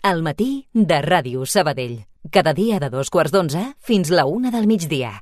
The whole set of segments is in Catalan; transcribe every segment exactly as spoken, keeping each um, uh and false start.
Al matí de Ràdio Sabadell. Cada dia de dos quarts d'onze fins la una del migdia.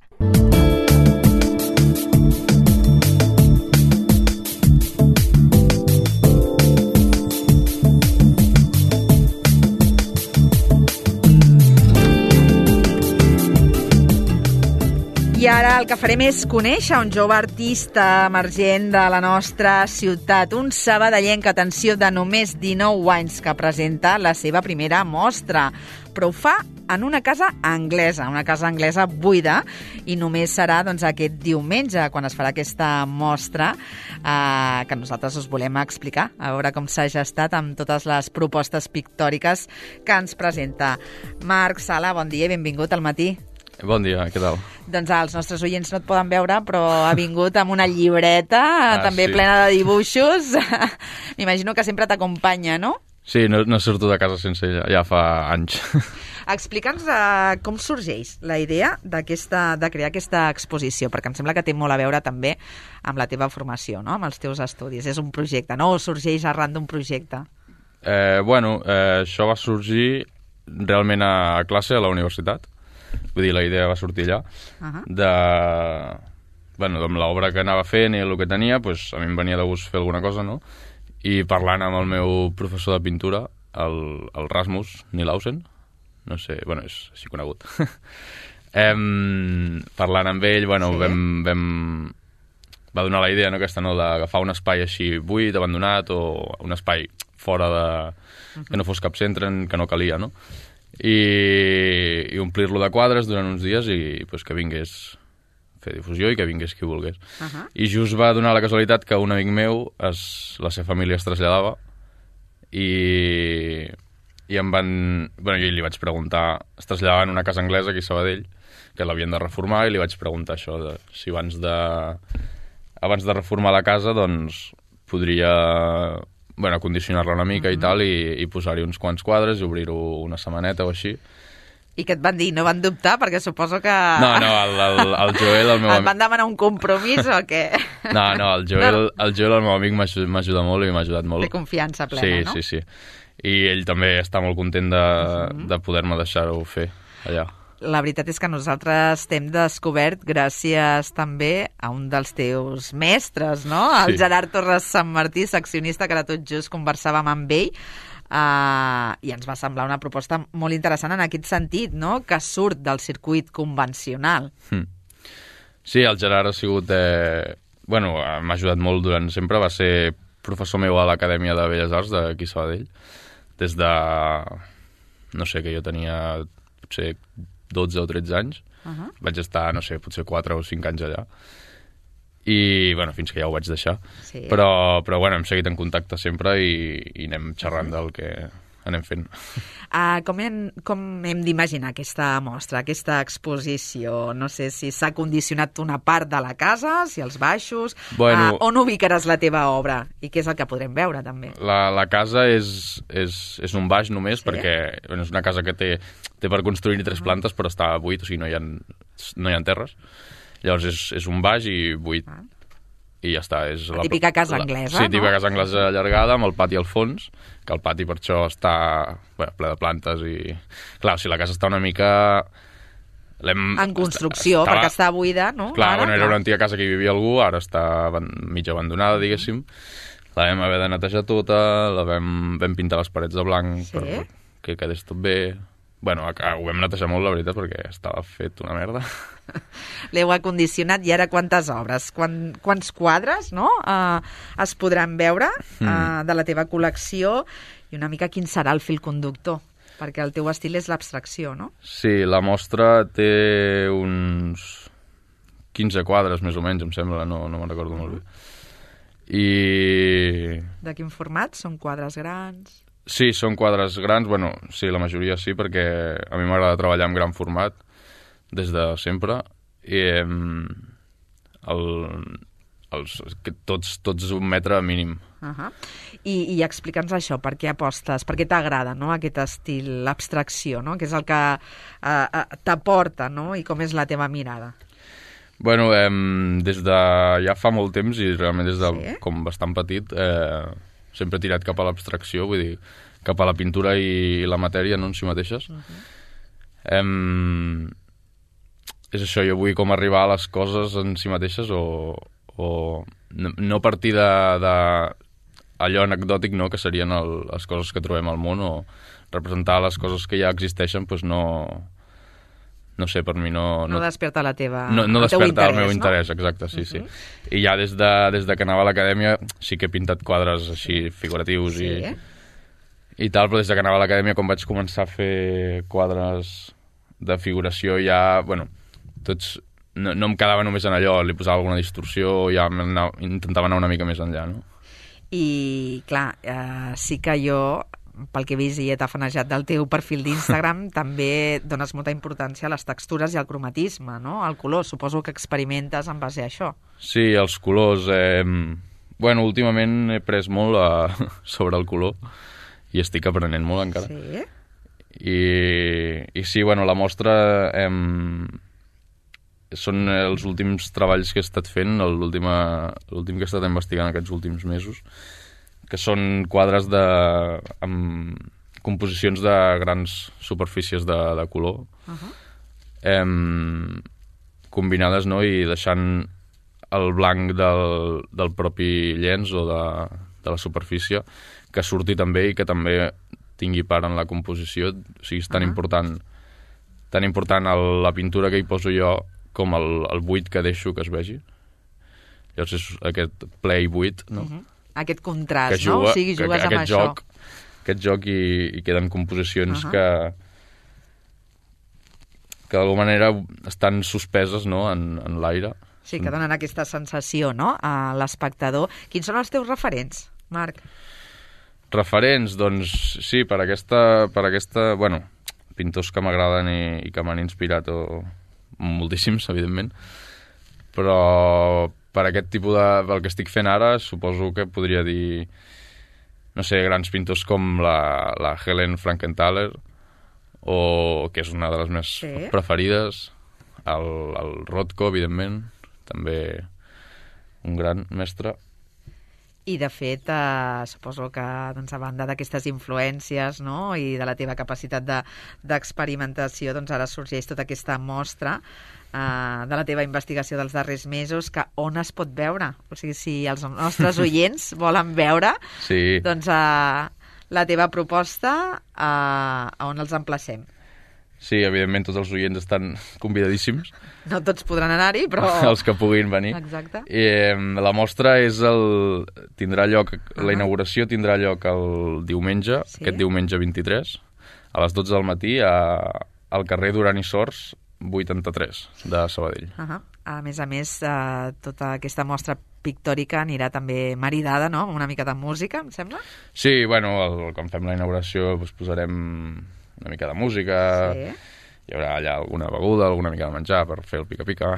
I ara el que farem és conèixer un jove artista emergent de la nostra ciutat, un sabadellenc, atenció, de només dinou anys, que presenta la seva primera mostra, però ho fa en una casa anglesa, una casa anglesa buida, i només serà doncs, aquest diumenge, quan es farà aquesta mostra, eh, que nosaltres us volem explicar, a veure com s'ha gestat amb totes les propostes pictòriques que ens presenta. Marc Sala, bon dia i benvingut al matí. Bon dia, què tal? Doncs els nostres oients no et poden veure, però ha vingut amb una llibreta ah, també sí. plena de dibuixos. M'imagino que sempre t'acompanya, no? Sí, no, no surto de casa sense ella, ja fa anys. Explica'ns uh, com sorgeix la idea d'aquesta de crear aquesta exposició, perquè em sembla que té molt a veure també amb la teva formació, no? Amb els teus estudis. És un projecte, no? O sorgeix arran d'un projecte? Eh, bueno, eh, això va sorgir realment a classe a la universitat. Vull dir, la idea va sortir allà. Uh-huh. De... Bueno, amb l'obra que anava fent i el que tenia, pues, a mi em venia de gust fer alguna cosa, no? I parlant amb el meu professor de pintura, el, el Rasmus Nilausen, no sé, bueno, és així conegut. em, parlant amb ell, bueno, sí. vam, vam... va donar la idea, no, aquesta, no, d'agafar un espai així buit, abandonat, o un espai fora de... Uh-huh. que no fos cap centre, que no calia, no? I, i omplir-lo de quadres durant uns dies i pues, que vingués fer difusió i que vingués qui volgués. Uh-huh. I just va donar la casualitat que un amic meu, es, la seva família es traslladava i, i em van... Bueno, jo li vaig preguntar, es traslladaven a una casa anglesa aquí a Sabadell, que l'havien de reformar, i li vaig preguntar això, de, si abans de, abans de reformar la casa, doncs, podria... bueno, condicionar-la una mica mm-hmm. i tal, i, i posar-hi uns quants quadres i obrir-ho una setmaneta o així. I què et van dir? No van dubtar? Perquè suposo que... No, no, el, el, el Joel, el meu amic... Et van demanar un compromís o què? No, no, el Joel, no. el, Joel, el meu amic, m'ajuda molt i m'ha ajudat molt. Té confiança plena, sí, no? Sí, sí, sí. I ell també està molt content de, mm-hmm. de poder-me deixar-ho fer allà. La veritat és que nosaltres t'hem descobert gràcies també a un dels teus mestres, no? El sí. Gerard Torres Sant Martí, seccionista, que ara tot just conversàvem amb ell, uh, i ens va semblar una proposta molt interessant en aquest sentit, no? Que surt del circuit convencional. Mm. Sí, el Gerard ha sigut... Eh... Bueno, m'ha ajudat molt durant sempre, va ser professor meu a l'Acadèmia de Belles Arts d'aquí a Sabadell, des de... no sé, que jo tenia potser dotze o tretze anys. Uh-huh. Vaig estar, no sé, potser quatre o cinc anys allà. I, bueno, fins que ja ho vaig deixar. Sí. Però, però, bueno, hem seguit en contacte sempre i, i anem xerrant del que anem fent. Uh, com hem, com hem d'imaginar aquesta mostra, aquesta exposició? No sé si s'ha condicionat una part de la casa, si els baixos... Bueno, uh, on ubicaràs la teva obra? I què és el que podrem veure, també? La, la casa és, és, és un baix només, sí? Perquè bueno, és una casa que té, té per construir tres plantes, però està buit, o sigui, no hi ha, no hi ha terres. Llavors és, és un baix i buit. Ah. I ja està. És la, la típica casa la, anglesa, sí, no? Sí, típica casa anglesa allargada, amb el pati al fons, que el pati per això està bueno, ple de plantes i... Clar, o sigui, la casa està una mica... En construcció, està, perquè està buida, no? Clar, ara, bueno, era una antiga casa que hi vivia algú, ara està mig abandonada, diguéssim. La vam haver de netejar tota, la vam, vam pintar les parets de blanc sí? per que quedés tot bé. Bueno, ho vam netejar molt, la veritat, perquè estava fet una merda. L'heu acondicionat i ara quantes obres, Quan, quants quadres no? uh, es podran veure uh, mm. de la teva col·lecció i una mica quin serà el fil conductor, perquè el teu estil és l'abstracció, no? Sí, la mostra té uns quinze quadres més o menys, em sembla, no, no me'n recordo mm. molt bé. I... De quin format? Són quadres grans? Sí, són quadres grans, bueno, sí, la majoria sí, perquè a mi m'agrada treballar en gran format des de sempre i el, els, tots, tots un metre mínim. Uh-huh. I, i explica'ns això, per què apostes, per què t'agrada, no? Aquest estil, l'abstracció, no? Que és el que uh, uh, t'aporta, no? I com és la teva mirada? Bueno, eh, des de ja fa molt temps i realment des de sí? com bastant petit eh, sempre he tirat cap a l'abstracció, vull dir, cap a la pintura i la matèria, no, en si mateixes. Uh-huh. Em... És això, jo vull com arribar a les coses en si mateixes o, o no, no partir de, de allò anecdòtic, no?, que serien el, les coses que trobem al món, o representar les coses que ja existeixen, doncs no... No sé, per mi no... No, no desperta la teva... No, no el desperta interès, el meu no? interès, exacte, sí, uh-huh. sí. I ja des de, des de que anava a l'acadèmia sí que he pintat quadres així figuratius sí. i, i tal, però des de que anava a l'acadèmia, quan vaig començar a fer quadres de figuració, ja, bueno, tots... No, no em quedava només en allò, li posava alguna distorsió, ja anava, intentava anar una mica més enllà, no? I, clar, eh, sí que jo... pel que he vist i he tafanejat del teu perfil d'Instagram, també dones molta importància a les textures i al cromatisme, no? Al color. Suposo que experimentes en base a això. Sí, els colors. Eh, bueno, últimament he pres molt a, sobre el color i estic aprenent molt encara. Sí? I, i sí, bueno, la mostra eh, són els últims treballs que he estat fent, l'últim que he estat investigant aquests últims mesos, que són quadres de, amb composicions de grans superfícies de, de color, uh-huh. eh, combinades, no?, i deixant el blanc del, del propi llenç o de, de la superfície que surti també i que també tingui part en la composició. O sigui, és tan uh-huh. important, tan important el, la pintura que hi poso jo com el, el buit que deixo que es vegi. Llavors és aquest ple i buit, no? Uh-huh. Aquest contrast, juga, no? O sigui, jugues que, amb aquest això. Joc, aquest joc i, i queden composicions uh-huh. que, que d'alguna manera estan suspeses, no?, en, en l'aire. Sí, que donen aquesta sensació, no?, a l'espectador. Quins són els teus referents, Marc? Referents, doncs, sí, per aquesta... Per aquesta bueno, pintors que m'agraden i, i que m'han inspirat, o moltíssims, evidentment, però... Per aquest tipus de... del que estic fent ara, suposo que podria dir, no sé, grans pintors com la, la Helen Frankenthaler, o que és una de les més sí. preferides, el, el Rothko, evidentment, també un gran mestre. I, de fet, eh, suposo que, doncs, a banda d'aquestes influències, no?, i de la teva capacitat de, d'experimentació, doncs ara sorgeix tota aquesta mostra Uh, de la teva investigació dels darrers mesos, que on es pot veure? O sigui, si els nostres oients volen veure, sí. doncs uh, la teva proposta, uh, a on els emplacem? Sí, evidentment tots els oients estan convidadíssims. No tots podran anar-hi, però... Els que puguin venir. Exacte. I, eh, la mostra és el... tindrà lloc... Uh-huh. La inauguració tindrà lloc el diumenge, sí. aquest diumenge vint-i-tres, a les dotze del matí, a, al carrer Duran i Sors, vuitanta-tres, de Sabadell. Uh-huh. A més a més, eh, tota aquesta mostra pictòrica anirà també maridada, no?, amb una mica de música, em sembla? Sí, bueno, el, quan fem la inauguració doncs posarem una mica de música, sí. Hi haurà allà alguna beguda, alguna mica de menjar per fer el pica-pica.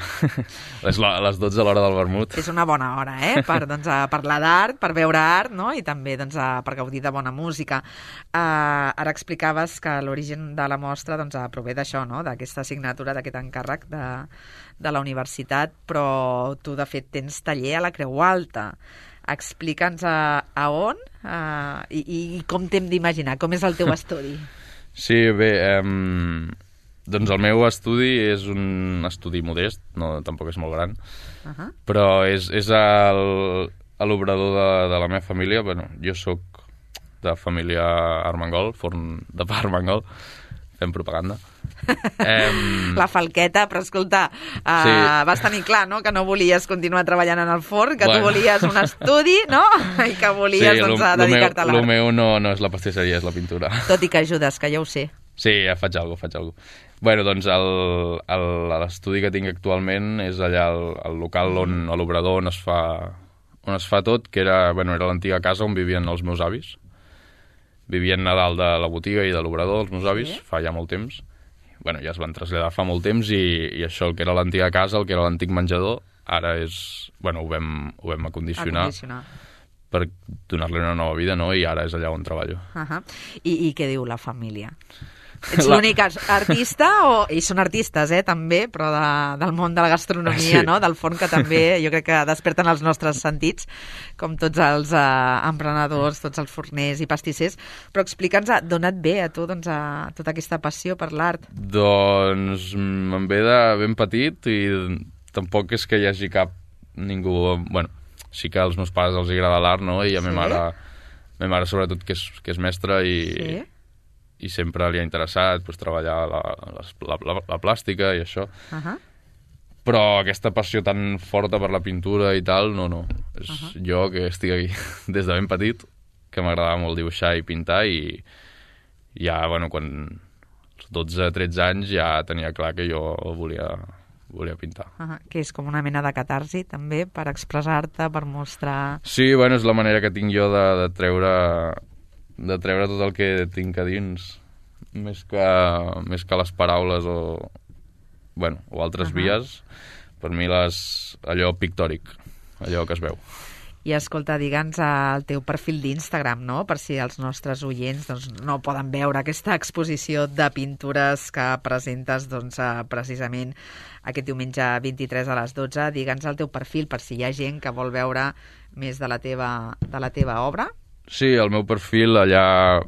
les, les dotze a l'hora del vermut. És una bona hora, eh?, per doncs, a parlar d'art, per veure art, no?, i també doncs, a, per gaudir de bona música. Uh, ara explicaves que l'origen de la mostra doncs, prové d'això, no?, d'aquesta assignatura, d'aquest encàrrec de, de la universitat, però tu, de fet, tens taller a la Creu Alta. Explica'ns a, a on uh, i, i com t'hem d'imaginar, com és el teu estudi. Sí, bé... Um... Doncs el meu estudi és un estudi modest, no, tampoc és molt gran, uh-huh. però és, és el, l'obrador de, de la meva família. Bueno, jo sóc de família Armengol, forn de pa Armengol, fem propaganda. Um... La falqueta, però escolta, uh, sí. vas tenir clar, no?, que no volies continuar treballant en el forn, que bueno. tu volies un estudi, no?, i que volies sí, doncs, lo, dedicar-te a l'art. El meu no, no és la pastisseria, és la pintura. Tot i que ajudes, que ja ho sé. Sí, ja faig alguna cosa, faig alguna cosa. Bueno, doncs l'estudi que tinc actualment és allà el, el local on, a l'obrador on es fa on es fa tot, que era, bueno, era l'antiga casa on vivien els meus avis. Vivien a dalt de la botiga i de l'obrador, els meus avis, sí. fa ja molt temps. Bueno, ja es van traslladar fa molt temps i, i això, el que era l'antiga casa, el que era l'antic menjador, ara és... Bueno, ho vam, ho vam acondicionar, acondicionar. per donar-li una nova vida, no? I ara és allà on treballo. Uh-huh. I, I què diu la família? Ets l'únic artista, o ells són artistes, eh, també, però de, del món de la gastronomia, sí. no? Del forn, que també jo crec que desperten els nostres sentits, com tots els eh, emprenedors, tots els forners i pastissers. Però explica'ns d'on et ve a tu doncs, a tota aquesta passió per l'art. Doncs me'n ve de ben petit i tampoc és que hi hagi cap ningú... Bueno, sí que als meus pares els agrada l'art, no? I a sí? ma mare... Ma mare, sobretot, que és, que és mestra i, sí? i sempre li ha interessat pues, treballar la, la, la, la plàstica i això. Uh -huh. Però aquesta passió tan forta per la pintura i tal, no, no. És uh -huh. jo que estic aquí des de ben petit, que m'agradava molt dibuixar i pintar i ja, bueno, quan als dotze tretze anys ja tenia clar que jo volia... volia pintar. Uh -huh. Que és com una mena de catarsi, també, per expressar-te, per mostrar... Sí, bueno, és la manera que tinc jo de, de treure de treure tot el que tinc a dins, més que, més que les paraules o, bueno, o altres uh -huh. vies. Per mi les, allò pictòric, allò que es veu. I escolta, digue'ns el teu perfil d'Instagram, no? Per si els nostres oients doncs, no poden veure aquesta exposició de pintures que presentes doncs, precisament aquest diumenge vint-i-tres a les dotze. Digue'ns el teu perfil per si hi ha gent que vol veure més de la teva, de la teva obra. Sí, el meu perfil allà...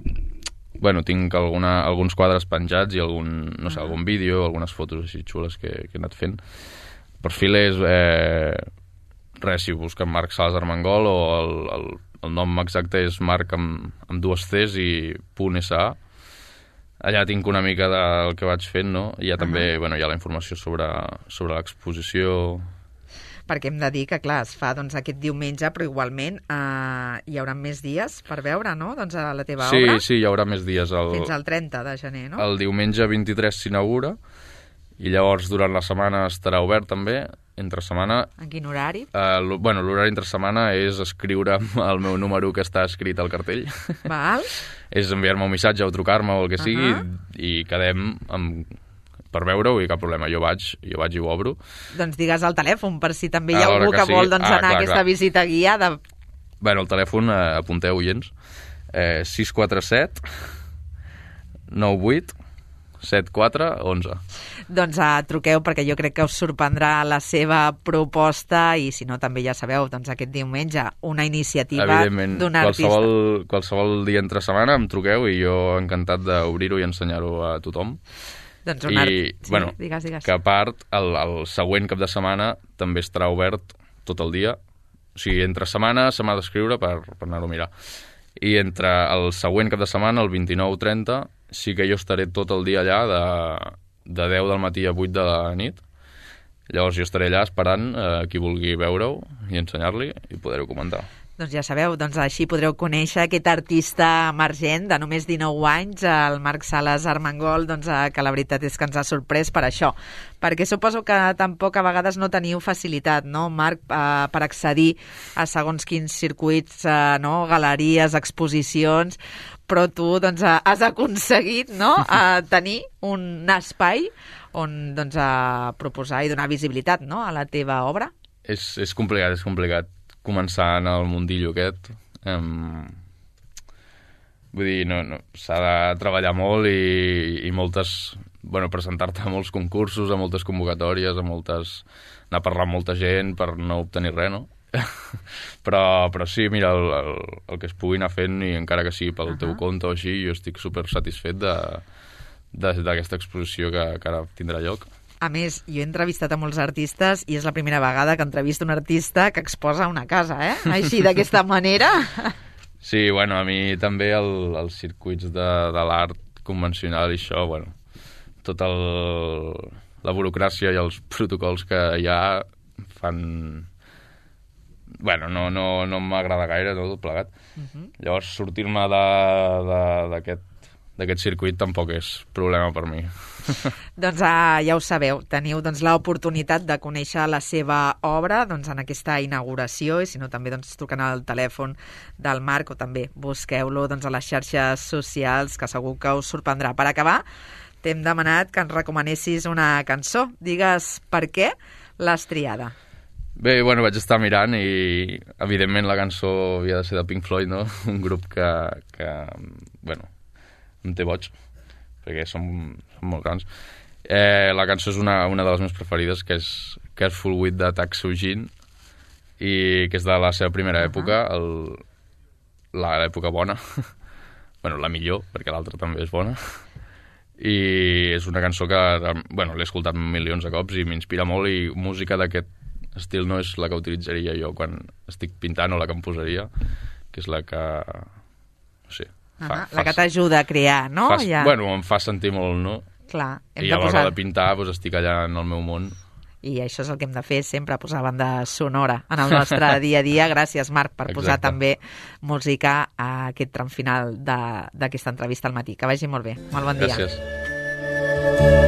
Bueno, tinc alguna, alguns quadres penjats i algun, no sé, uh -huh. algun vídeo, algunes fotos així xules que, que he anat fent. El perfil és... Eh... Res, si busquen Marc Sales Armengol, o el, el, el nom exacte és Marc amb, amb dues Cs i punt .sa. Allà tinc una mica del que vaig fent, no? I ja també, uh -huh. bueno, hi ha la informació sobre, sobre l'exposició. Perquè hem de dir que, clar, es fa doncs, aquest diumenge, però igualment eh, hi haurà més dies per veure, no?, doncs, a la teva sí, obra. Sí, sí, hi haurà més dies. El, fins al trenta de gener, no? El diumenge vint-i-tres s'inaugura, i llavors durant la setmana estarà obert també. Entre setmana... En quin horari? Uh, bueno, l'horari entre setmana és escriure el meu número que està escrit al cartell. Val. És enviar-me un missatge o trucar-me o el que sigui, uh -huh. i, i quedem amb, per veure-ho i cap problema. Jo vaig, jo vaig i ho obro. Doncs digues el telèfon, per si també hi ha algú que, que vol doncs, ah, anar clar, a aquesta clar. visita guiada. Bueno, el telèfon, eh, apunteu, oients, eh, sis quatre set nou vuit set quatre onze. Doncs uh, truqueu, perquè jo crec que us sorprendrà la seva proposta, i si no també ja sabeu, doncs aquest diumenge una iniciativa d'un artista. Qualsevol, qualsevol dia entre setmana em truqueu i jo encantat d'obrir-ho i ensenyar-ho a tothom. Doncs un art... I, sí, bueno, digues, digues. Que a part, el, el següent cap de setmana també estarà obert tot el dia. O sigui, entre setmana se m'ha d'escriure per, per anar-ho a mirar. I entre el següent cap de setmana, el vint-i-nou trenta, sí que jo estaré tot el dia allà de, de deu del matí a vuit de la nit. Llavors jo estaré allà esperant eh, qui vulgui veure-ho i ensenyar-li i poder-ho comentar. Doncs ja sabeu, doncs així podreu conèixer aquest artista emergent de només dinou anys, el Marc Sales Armengol, doncs, que la veritat és que ens ha sorprès per això. Perquè suposo que tampoc a vegades no teniu facilitat, no, Marc, eh, per accedir a segons quins circuits, eh, no, galeries, exposicions, però tu doncs, has aconseguit, no, a tenir un espai on doncs, a proposar i donar visibilitat, no, a la teva obra. És, és complicat, és complicat començar en el mundillo aquest. Um, vull dir, no, no, s'ha de treballar molt i, i moltes... Bueno, presentar-te a molts concursos, a moltes convocatòries, a moltes... anar a parlar amb molta gent per no obtenir res, no? però, però sí, mira, el, el, el que es pugui anar fent, i encara que sigui pel uh -huh. teu compte o així, jo estic super satisfet d'aquesta exposició que, que ara tindrà lloc. A més, jo he entrevistat a molts artistes i és la primera vegada que entrevisto un artista que exposa una casa, eh? Així, d'aquesta manera. Sí, bueno, a mi també el, els circuits de, de l'art convencional i això, bueno, tota la burocràcia i els protocols que hi ha fan... Bueno, no, no, no m'agrada gaire, no, tot plegat. Uh-huh. Llavors, sortir-me d'aquest d'aquest circuit tampoc és problema per mi. Doncs uh, ja ho sabeu, teniu doncs, l'oportunitat de conèixer la seva obra doncs, en aquesta inauguració, i si no també doncs, truquen al telèfon del Marc, o també busqueu-lo doncs, a les xarxes socials, que segur que us sorprendrà. Per acabar, t'hem demanat que ens recomanessis una cançó. Digues per què l'has triada. Bé, bueno, vaig estar mirant i, evidentment, la cançó havia de ser de Pink Floyd, no? Un grup que, que bueno, em té boig. perquè són, són molt grans. Eh, la cançó és una, una de les meves preferides, que és Careful with the Taxugin, i que és de la seva primera uh -huh. època, el, la, l'època bona. Bueno, la millor, perquè l'altra també és bona. I és una cançó que, bueno, l'he escoltat milions de cops i m'inspira molt, i música d'aquest estil no és la que utilitzaria jo quan estic pintant o la que em posaria, que és la que... no sé... Fa, fa, la que t'ajuda a crear, no? Fa, ja. Bueno, em fa sentir molt, no? Clar, hem I de a l'hora posar... de pintar doncs, estic allà en el meu món. I això és el que hem de fer sempre, posar banda sonora en el nostre dia a dia. Gràcies, Marc, per Exacte. posar també música a aquest tram final d'aquesta entrevista al matí. Que vagi molt bé. Molt bon dia. Gràcies.